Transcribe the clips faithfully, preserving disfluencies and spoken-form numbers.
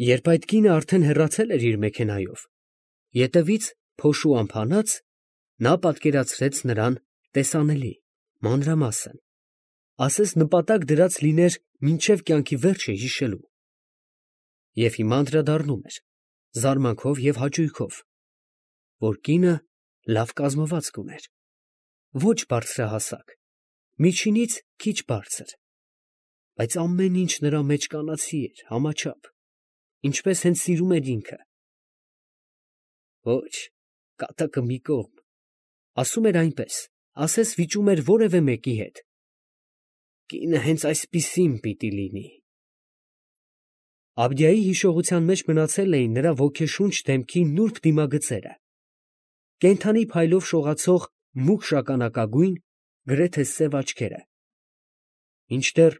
Երբ այդ կինը արդեն հեռացել էր իր մեքենայով, ետևից փոշու ամփանած, նա պատկերացրեց նրան տեսանելի, մանրամասն, ասես նպատակ դրած լիներ մինչև կյանքի վերջը հիշելու։ Եվ հիմա անդրադառնում էր, զարմանքով և հաճույքով, որ կինը լավ կազմվածք ուներ, ոչ բարձրահասակ, միջինից քիչ բարձր, բայց ամեն ինչ նրա մեջ կանացի էր, համաչափ, ինչպես հենց սիրում էր ինքը։ Ոչ, կատակը մի կողմ, ասում էր այնպես, ասես վիճում էր որևէ մեկի հետ։ Կինը հենց այսպիսին պիտի լինի։ Աբդիայի հիշողության մեջ մնացել էին նրա ոգեշունչ դեմքի նուրբ դիմագծերը, կենդանի փայլով շողացող մուգ շագանակագույն, գրեթե սև աչքերը, մինչդեռ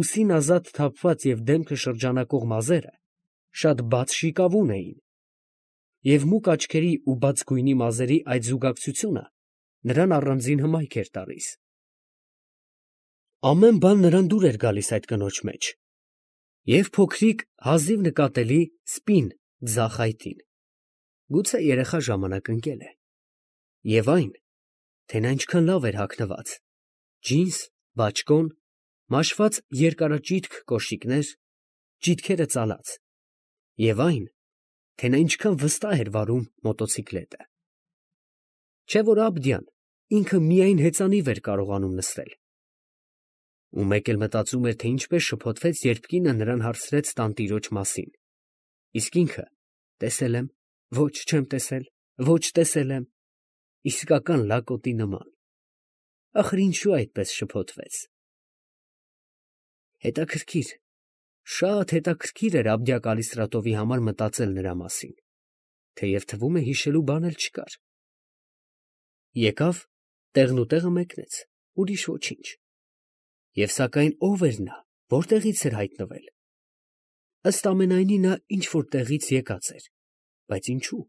ուսին ազատ թափված և դեմքը շրջանակող մազերը շատ բաց շիկավուն էին, և մուգ աչքերի ու բաց գույնի մազերի այդ զուգակցությունը նրան առանձին հմայք էր տալիս։ Ամեն բան նրան դուր էր գալիս այդ կնոջ մեջ, և փոքրիկ հազիվ նկատելի սպին ձախ այտին, գուցե երեխա ժամանակ ընկել է, և այն, թե նա ինչքան լավ էր հագնված, ջինս, բաճկոն, մաշված երկարաճիթք կոշիկներ, ճիթքերը ծալած, և այն, թե նա ինչքան վստահ էր վարում մոտոցիկլետը։ Չէ՞ որ Աբդիան ինքը միայն հեծանիվ էր կարողանում նստել։ Ու մեկ էլ մտածում էր, թե ինչպես շփոթվեց, երբ կինը նրան հարցրեց տանտիրոջ մասին, իսկ ինքը տեսել եմ, ոչ չեմ տեսել, ոչ տեսել եմ, իսկական լակոտի նման։ Ախր ինչու այդպես շփոթվեց։ Հետաքրքիր, շատ հետաքրքիր էր Աբդիա Կալիստրատովի համար մտածել նրա մասին, թեև թվում է հիշելու բան էլ չկար։ Եկավ, տեղնուտեղը մեկնեց, ուրիշ ոչինչ։ Եվ սակայն ով էր նա, որտեղից էր հայտնվել։ Ըստ ամենայնի նա ինչ-որ տեղից եկած էր, բայց ինչու։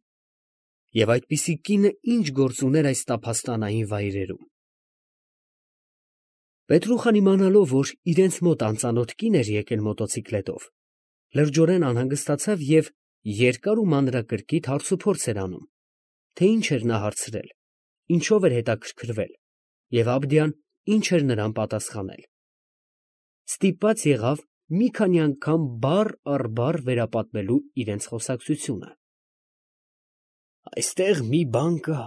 Եվ այդպիսի կինը ինչ գործ ուներ այս տափաստանային վայրերում։ Պետրուխան իմանալով, որ իրենց մոտ անծանոթ կին էր եկել մոտոցիկլետով, լրջորեն անհանգստացավ և երկար ու մանրակրկիտ հարցուփորձ էր անում, թե ինչ էր նա հարցրել, ինչով էր հետաքրքրվել և Աբդիան ինչ էր նրան պատասխանել։ Ստիպված եղավ մի քանի անգամ բառ առ բառ վերապատմելու իրենց խոսակցությունը։ Այստեղ մի բան կա,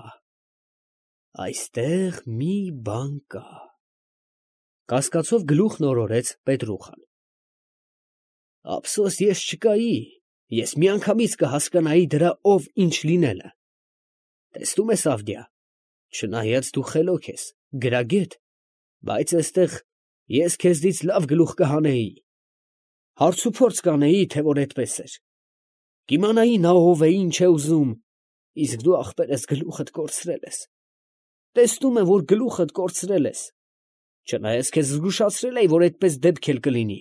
այստեղ մի բան կա, կասկածով գլուխն օրորեց Պետրուխան։ Ափսոս ես չկայի, ես միանգամից կհասկանայի դրա ով ինչ լինելը։ Տեսնում ես, Աբդիա, չնայած դու խելոք ես, գրագետ, բայց այստեղ ես քեզնից լավ գլուխ կհանեի, հարցուփորձ կանեի, թե որ այդպես էր, կիմանայի նա ով է, ինչ է ուզում, իսկ դու ախպերս գլուխդ կորցրել ես։ Տեսնում եմ, որ գլուխդ կորցրել ես, չնայած քեզ զգուշացրել էի, որ այդպես դեպք էլ կլինի։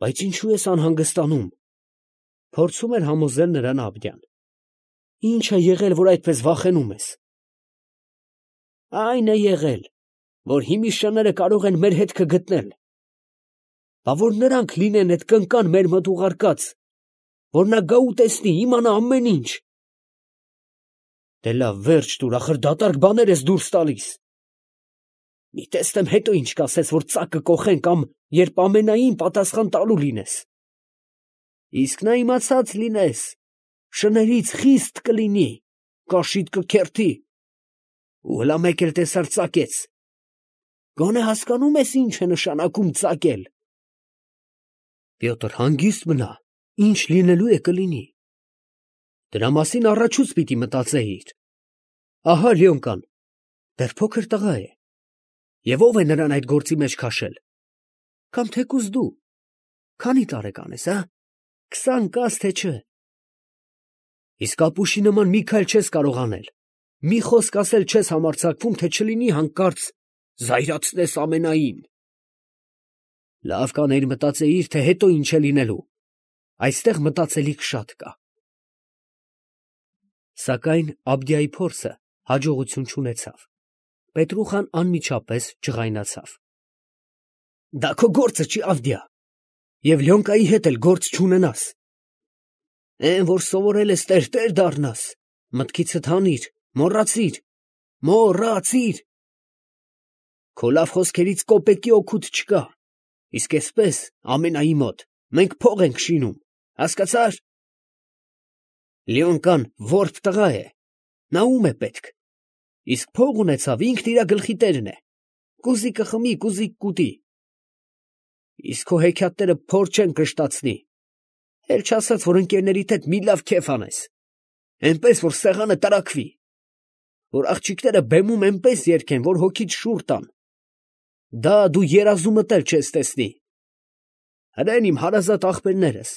Բայց ինչու ես անհանգստանում, փորձում էր համոզել նրան Աբդիան։ Ինչ է եղել, որ այդպես վախենում ես։ Այն է եղել, որ հիմիշները կարող են մեր հետքը գտնել։ Բա որ նրանք լինեն այդ կնկան մեր մոտ ուղարկած, որ նա գա ու տեսնի, իմանա ամեն ինչ։ Դե լավ, վերջ տուր, ախր դատարկ բաներ ես դուրս տալիս։ Մի տեսնեմ հետո ինչ կասես, որ ծակը կոխեն կամ երբ ամենային պատասխան տալու լինես։ Իսկ նա իմացած լինես, շներից խիստ կլինի, կաշիդ կքերթի, ու հլա մեկ էլ տեսար ծակեց։ Գոնե հասկանում ես ինչ է նշանակում ծակել։ Պյոտր, հանգիստ մնա, ինչ լինելու է կլինի։ Դրա մասին առաջուց պիտի մտածեիր։ Ահա Լյոնկան, դեռ փոքր տղա է։ Եվ ով է նրան այդ գործի մեջ քաշել։ Կամ թեկուզ դու, քանի տարեկան ես, հա, քսան կաս թե չէ։ Իսկ ապուշի նման մի քայլ չես կարող անել, մի խոսք ասել չես համարձակվում, թե չլինի հանկարծ զայրացնես ամենային։ Լավ կանեիր մտածեիր, թե հետո ինչ է լինելու։ Այստեղ մտածելիք շատ կա։ Սակայն Աբդիայի փորձը հաջողություն չունեցավ։ Պետրուխան անմիջապես ջղայնացավ։ Դա քո գործը չի, Աբդիա։ և Լյոնկայի հետ էլ գործ չունենաս։ Էն, որ սովորել ես տերտեր դառնաս, մտքիցդ հանիր, մոռացիր, մոռացիր։ Քո լավ խոսքերից կոպեկի օգուտ չկա, իսկ էսպես ամենայի մոտ մենք փող ենք շինում, հասկացա՞ր։ Լյոնկան որբ տղա է, նա ում է պետք, իսկ փող ունեցավ, ինքն իրա գլխի տերն է, կուզի կխմի, կուզի կուտի։ Իսկ քո հեքիաթները փոր չեն կշտացնի, էլ չասած, որ ընկերներիդ հետ մի լավ քեֆ անես, էնպես, որ սեղանը տրաքվի, որ աղջիկները բեմում էնպես երգեն, որ հոգիդ շուռ տան, դա դու երազումդ էլ չես տեսնի։ Հրեն իմ հարազատ ախպերներս,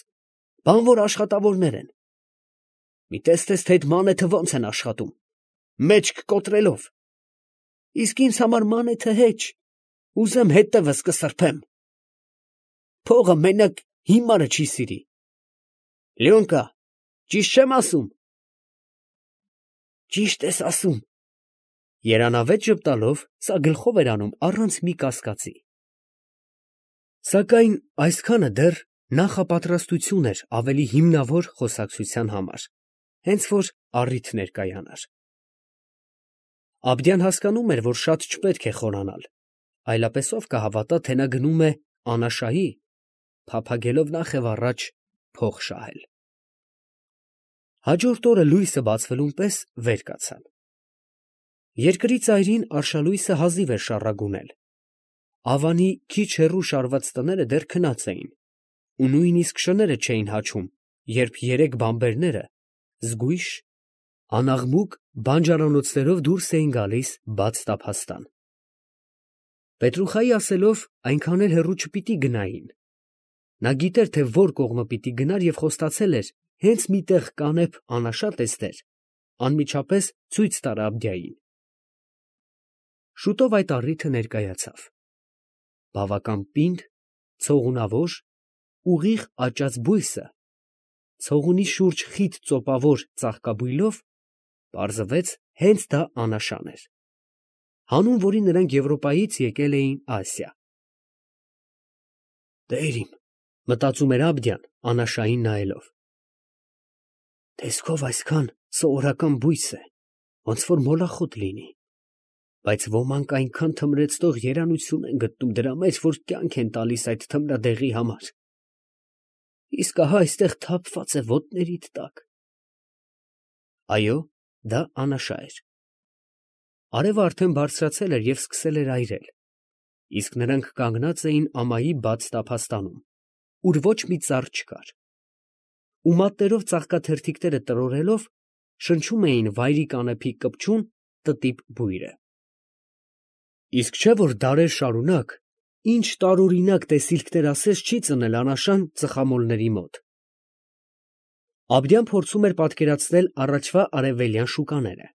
բանվոր աշխատավորներ են, մի տեստես, թե այդ մանեթը ոնց են աշխատում, մեջք կոտրելով, իսկ ինձ համար մանեթը հեչ, ուզեմ հետևս կսրբեմ։ Փողը մենակ հիմարը չի սիրի։ Լյոնկա, ճիշտ չեմ ասում։ Ճիշտ ես ասում։ Երանավետ ժպտալով սա գլխով էր անում առանց մի կասկածի։ Սակայն այսքանը դեռ նախապատրաստություն էր ավելի հիմնավոր խոսակցության համար, հենց որ առիթ ներկայանար։ Աբդյան հասկանում էր, որ շատ չպետք է խորանալ, այլապես ով կհավատա, թե նա գնում է Անաշայի, փափագելով նախ և առաջ փող շահել։ Հաջորդ օրը լույսը բացվելուն պես վեր կացան։ Երկրի ծայրին արշալույսը հազիվ էր շառագունել։ Ավանի քիչ հեռու շարված տները դեռ քնած էին, ու նույնիսկ շները չէին հաչում, երբ երեք բանբերները զգույշ, անաղմուկ բանջարանոցներով դուրս էին գալիս բաց տափաստան։ Պետրուխայի ասելով, այնքան էլ հեռու չպիտի գնային։ Նա գիտեր, թե որ կողմը պիտի գնար և խոստացել էր հենց մի տեղ կանեփ անաշա տեսներ, անմիջապես ցույց տար Աբդյային։ Շուտով այդ առիթը ներկայացավ։ Բավական պինդ, ցողունավոր, ուղիղ աճած բույսը, ցողունի շուրջ խիտ ծոպավոր ծաղկաբույլով, պարզվեց հենց դա Անաշան էր, հանուն որի նրանք Եվրոպայից եկել էին Ասիա։ Տեր իմ, մտածում էր Աբդյան, Անաշային նայելով, տեսքով այսքան սովորական բույս է, ոնց որ մոլախոտ լինի, բայց ոմանք այնքան թմրեցնող երանություն են գտնում դրա մեջ, որ կյանք են տալիս այդ թմրադեղի համար, իսկ ահա այստեղ թափված է ոտներիդ տակ։ Այո, դա Անաշա էր։ Արևը արդեն բարձրացել էր և սկսել էր այրել, իսկ նրանք կանգնած էին ամայի բաց տափաստանում, ուր ոչ մի ծառ չկար, ու մատներով ծաղկաթերթիկները տրորելով շնչում էին վայրի կանեփի կպչուն տտիպ բույրը։ Իսկ չէ՞ որ դարեր շարունակ ինչ տարօրինակ տեսիլքներ ասես չի ծնել Անաշան ծխամոլների մոտ։ Աբդյան փորձում էր պատկերացնել առաջվա արևելյան շուկաները,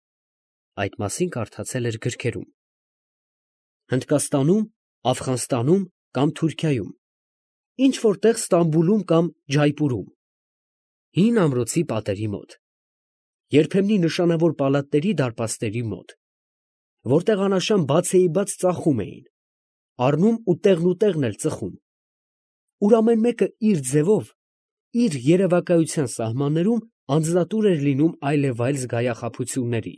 այդ մասին կարդացել էր գրքերում, Հնդկաստանում, Աֆղանստանում կամ Թուրքիայում, ինչ որտեղ Ստամբուլում կամ Ջայպուրում, հին ամրոցի պատերի մոտ, երբեմնի նշանավոր պալատների դարպասների մոտ, որտեղ Անաշան բացեիբաց ծախում էին, առնում ու տեղնուտեղն էլ ծխում, ուր ամեն մեկը իր ձևով, իր երևակայության սահմաններում անձնատուր էր լինում այլևայլ զգայախաբությունների։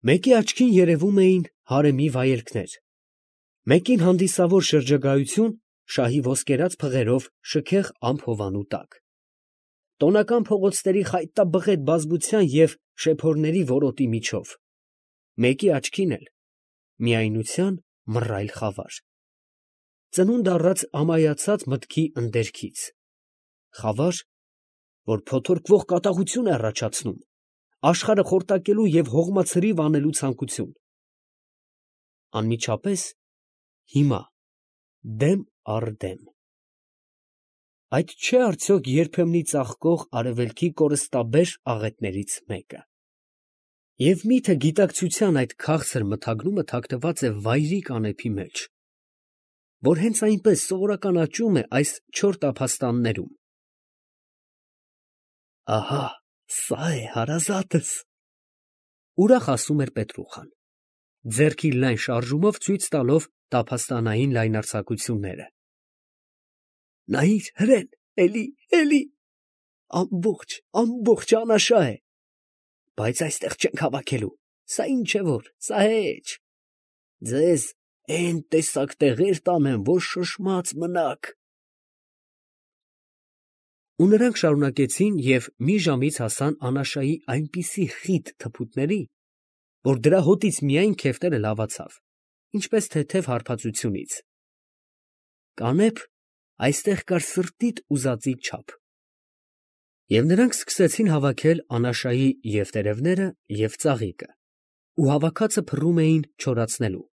Մեկի աչքին երևում էին հարեմի վայելքներ, մեկին հանդիսավոր շրջագայություն շահի ոսկերած փղերով շքեղ ամփովանու տակ, տոնական փողոցների խայտաբղետ բազմության և շեփորների որոտի միջով, մեկի աչքին էլ միայնության մռայլ խավար, ծնունդ առած ամայացած մտքի ընդերքից, խավար, որ փոթորկվող կատաղություն է առաջացնում, աշխարհը խորտակելու և հողմացրիվ անելու ցանկություն։ Անմիջապես հիմա դեմ առ դեմ։ Այդ չէ՞ արդյոք երբեմնի ծաղկող արևելքի կորստաբեր աղետներից մեկը։ Եվ մի՞թե գիտակցության այդ քաղցր մթագնումը թաքնված է վայրի կանեփի մեջ, որ հենց այնպես սովորական աճում է այս չոր տափաստաններում։ Ահա, սա է հարազատս, ուրախ ասում էր Պետրուխան, ձեռքի լայն շարժումով ցույց տալով տափաստանային լայնարձակությունները։ Նայիր, հրեն, էլի, էլի, ամբողջ, ամբողջ անաշա է, բայց այստեղ չենք հավաքելու, սա ինչ է որ, սա հեչ, ձեզ էն տեսակ տեղեր տանեմ, որ շշմած մնաք։ Ու նրանք շարունակեցին և մի ժամից հասան անաշայի այնպիսի խիտ թփուտների, որ դրա հոտից միայն քեֆտերը լավացավ, ինչպես թեթև հարբածությունից։ Կանեփ այստեղ կար սրտիդ ուզածի չափ։ Եվ նրանք սկսեցին հավաքել անաշայի և տերևները, և ծաղիկը, ու հավաքածը փռում էին չորացնելու։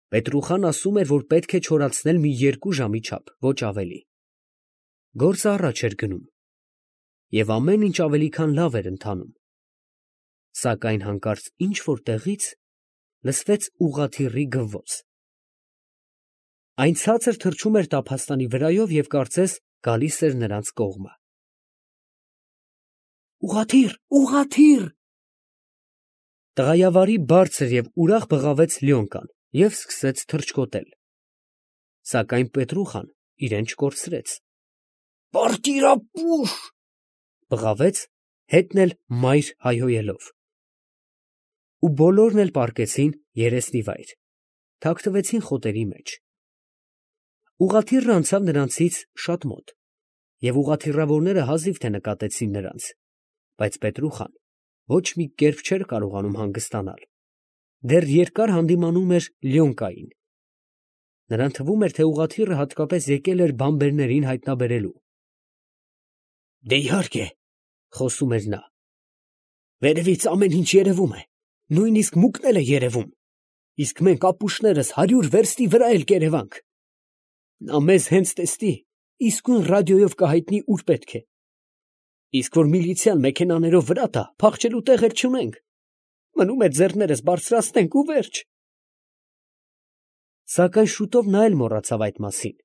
Պետրուխան ասում էր, որ պետք է չորացնել մի երկու ժամի չափ, ոչ ավելի։ Գործը առաջ էր գնում, և ամեն ինչ ավելի քան լավ էր ընթանում, սակայն հանկարծ ինչ֊որ տեղից լսվեց ուղղաթիռի գվվոց։ Այն ցածր թռչում էր տափաստանի վրայով և կարծես գալիս էր նրանց կողմը։ «Ուղղաթիռ, ուղղաթիռ»։ Տղայավարի բարձր և ուրախ բղավեց Լյոնկան և սկսեց թռչկոտել, սակայն Պետրուխան իրեն չկորցրեց։ «Պարտիր ապուշ», բղավեց, հետն էլ մայր հայհոյելով։ Ու բոլորն էլ պառկեցին երեսնի վայր, թաքնվեցին խոտերի մեջ։ Ուղղաթիռն անցավ նրանցից շատ մոտ, և ուղղաթիռավորները հազիվ թե նկատեցին նրանց, բայց Պետրուխան ոչ մի կերպ չէր կարողանում հանգստանալ, դեռ երկար հանդիմանում էր Լյոնկային։ Նրան թվում էր, թե ուղղաթիռը հատկապես եկել էր բանբերներին հայտնաբերելու։ «Դե իհարկե, ֊ խոսում էր նա, ֊ վերևից ամեն ինչ երևում է, նույնիսկ մուկն էլ է երևում, իսկ մենք ապուշներս հարյուր վերստի վրա էլ կերևանք։ Նա մեզ հենց տեսնի, իսկույն ռադիոյով կհայտնի ուր պետք է, իսկ որ միլիցիան մեքենաներով վրա տա, փախչելու տեղեր չունենք, մնում է ձեռներս բարձրացնենք ու վերջ»։ Սակայն շուտով նա էլ մոռացավ այդ մասին,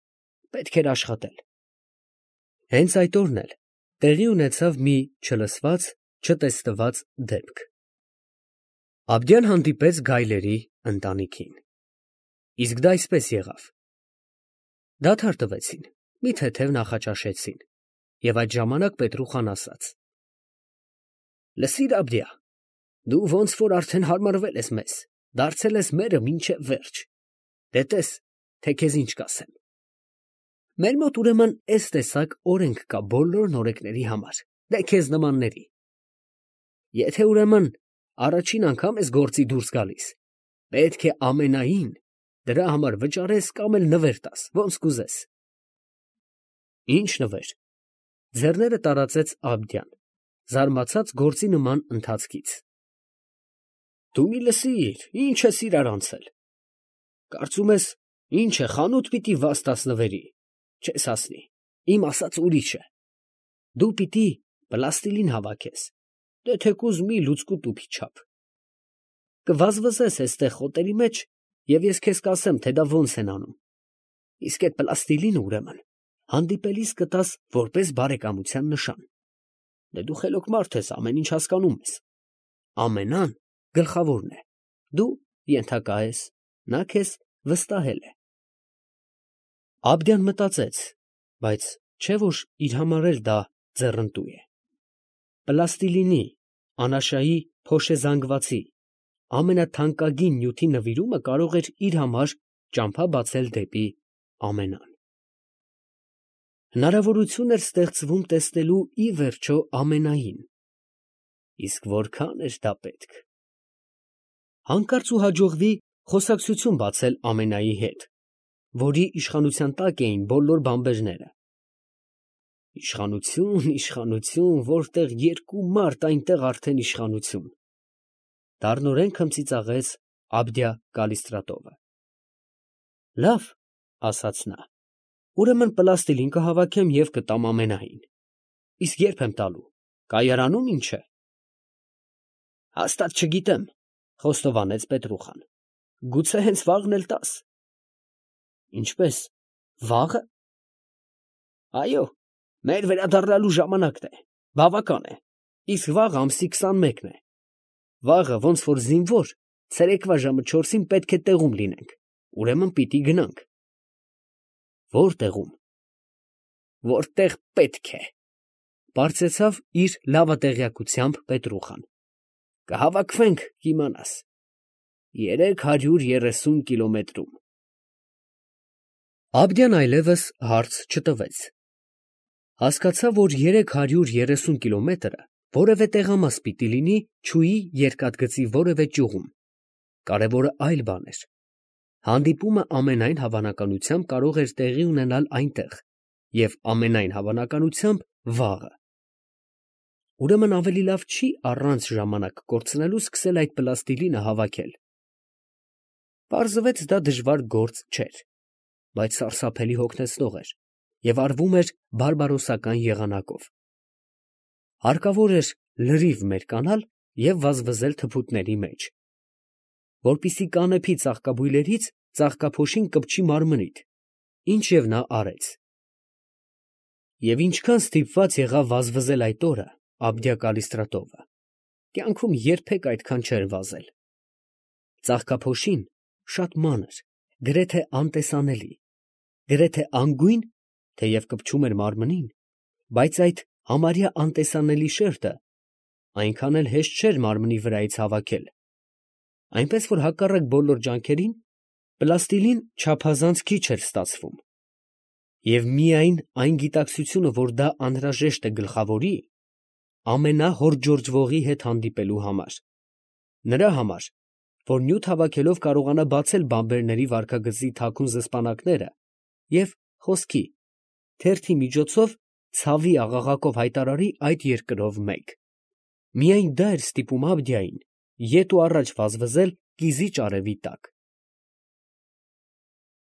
պետք էր աշխատել։ Հենց այդ օրն էլ տեղի ունեցավ մի չլսված, չտեսնված դեպք։ Աբդյան հանդիպեց գայլերի ընտանիքին։ Իսկ դա այսպես եղավ. դադար տվեցին, մի թեթև նախաճաշեցին, և այդ ժամանակ Պետրուխան ասաց. «Լսիր, Աբդյա, դու ոնց որ արդեն հարմարվել ես մեզ, դարձել ես մերը մինչև վերջ, դե տես, թե քեզ ինչ կասեմ։ Մեր մոտ ուրեմն էս տեսակ օրենք կա բոլոր նորեկների համար, դե քեզ նմանների։ Եթե ուրեմն առաջին անգամ ես գործի դուրս գալիս, պետք է ամենայն դրա համար վճարես կամ էլ նվեր տաս, ոնց կուզես»։ «Ի՞նչ նվեր», ձեռները տարածեց Աբդյան, զարմացած գործի նման ընթացքից։ «Դու մի լսիր, ինչ ես իրար անցել. կարծում ես, ինչ է, խանութ պիտի վազ տաս նվերի, չես հասնի, իմ ասածը ուրիշ է. դու պիտի պլաստիլին հավաքես, դե թեկուզ մի լուծկու տուփի չափ, կվազվզես էստեղ խոտերի մեջ, և ես քեզ կասեմ, թե դա ոնց են անում, իսկ էդ պլաստիլինը ուրեմն հանդիպելիս կտաս որպես բարեկամության նշան։ Դե դու խելոք մարդ ես, ամեն ինչ հասկանում ես։ Ամենան գլխավորն է, դու ենթակա ես, նա քեզ վստահել է»։ Աբդյան մտածեց, բայց չէ՞ որ իր համար էլ դա ձեռնտու է։ Պլաստիլինի, անաշայի փոշեզանգվածի ամենաթանկագին նյութի նվիրումը կարող էր իր համար ճամփա բացել դեպի ամենան։ Հնարավորություն էր ստեղծվում տեսնելու ի վերջո ամենային, իսկ որքան էր դա պետք։ Հանկարծ ու հաջողվի խոսակցություն բացել ամենայի հետ, որի իշխանության տակ էին բոլոր բանբերները։ «Իշխանություն, իշխանություն, որտեղ երկու մարդ, այնտեղ արդեն իշխանություն», դառնորեն քմծիծաղեց Աբդյա Կալիստրատովը։ «Լավ, ֊ ասաց նա, ֊ ուրեմն պլաստիլին կհավաքեմ և կտամ ամենային, իսկ ե՞րբ եմ տալու, կայարանում, ինչ է»։ «Հաստատ չգիտեմ, ֊ խոստովանեց Պետրուխան, ֊ գուցե հենց վաղն էլ տաս»։ «Ինչպես, վաղը»։ «Այո, մեր վերադառնալու ժամանակն է, բավական է, իսկ վաղը ամսի քսանմեկն է, վաղը ոնց որ զինվոր ցերեկվա ժամը չորսին պետք է տեղում լինենք, ուրեմն պիտի գնանք»։ «Ո՞ր տեղում»։ որտեղ պետք է, բարձեցավ իր լավատեղյակությամբ Պետրուխան։ Կհավաքվենք, կիմանաս, երեք հարյուր երեսուն կիլոմետրում։ Աբդյան այլևս հարց չտվեց։ Հասկացավ, որ երեք հարյուր երեսուն կիլոմետրը որևէ տեղամաս պիտի լինի չուի երկաթգծի որևէ ճյուղում։ Կարևորը այլ բան էր։ Հանդիպումը ամենայն հավանականությամբ կարող էր տեղի ունենալ այնտեղ և ամենայն հավանականությամբ վաղը։ Ուրեմն ավելի լավ չի առանց ժամանակ կորցնելու սկսել այդ պլաստիլինը հավաքել։ Պարզվեց դա դժվար գործ չէր, բայց սարսափելի հոգնեցնող էր և արվում էր բարբարոսական եղանակով։ Հարկավոր էր լրիվ մերկանալ և վազվզել թփուտների մեջ, որպեսզի կանեփի ծաղկաբույլերից ծաղկափոշին կպչի մարմնիդ, ինչև նա արեց։ Եվ ինչքան ստիպված եղավ վազվզել այդ օրը Աբդյա Կալիստրատովը, կյանքում երբեք այդքան չէր վազել։ Ծաղկափոշին շատ մանր, գրեթե անտեսանելի, գրեթե անգույն, թեև կպչում էր մարմնին, բայց այդ համարյա անտեսանելի շերտը այնքան էլ հեշտ չէր մարմնի վրայից հավաքել, այնպես որ հակառակ բոլոր ջանքերին պլաստիլին չափազանց քիչ էր ստացվում, և միայն այն գիտակցությունը, որ դա անհրաժեշտ է գլխավորի, ամենահորջորջվողի հետ հանդիպելու համար, նրա համար, որ նյութ հավաքելով կարողանա բացել բամբերների վարքագծի թաքուն զսպանակները և խոսքի, թերթի միջոցով ցավի աղաղակով հայտարարի այդ երկրով մեկ։ Միայն դա էր ստիպում Աբդիային ետ ու առաջ վազվզել կիզիչ արևի տակ։